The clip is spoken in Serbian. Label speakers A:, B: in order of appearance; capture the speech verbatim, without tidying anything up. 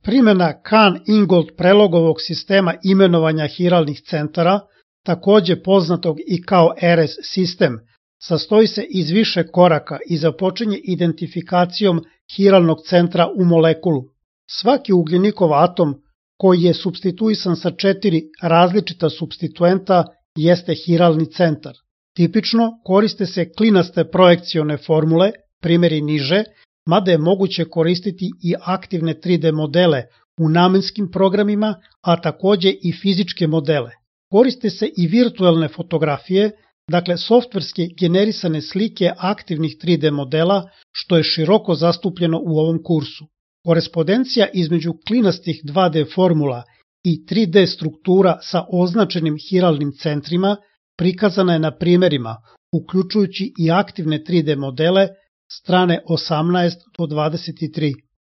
A: Primjena Kahn-Ingold prelogovog sistema imenovanja hiralnih centara, takođe poznatog i kao R S sistem, sastoji se iz više koraka i započinje identifikacijom hiralnog centra u molekulu. Svaki ugljenikov atom koji je supstituisan sa četiri različita supstituenta jeste hiralni centar. Tipično koriste se klinaste projekcione formule, primjeri niže, mada je moguće koristiti i aktivne tri D modele u namenskim programima, a takođe i fizičke modele. Koriste se i virtuelne fotografije, dakle softverske generisane slike aktivnih tri D modela, što je široko zastupljeno u ovom kursu. Korespondencija između klinastih dva D formula i tri D struktura sa označenim hiralnim centrima prikazana je na primerima, uključujući i aktivne tri D modele strane osamnaest do dvadeset tri.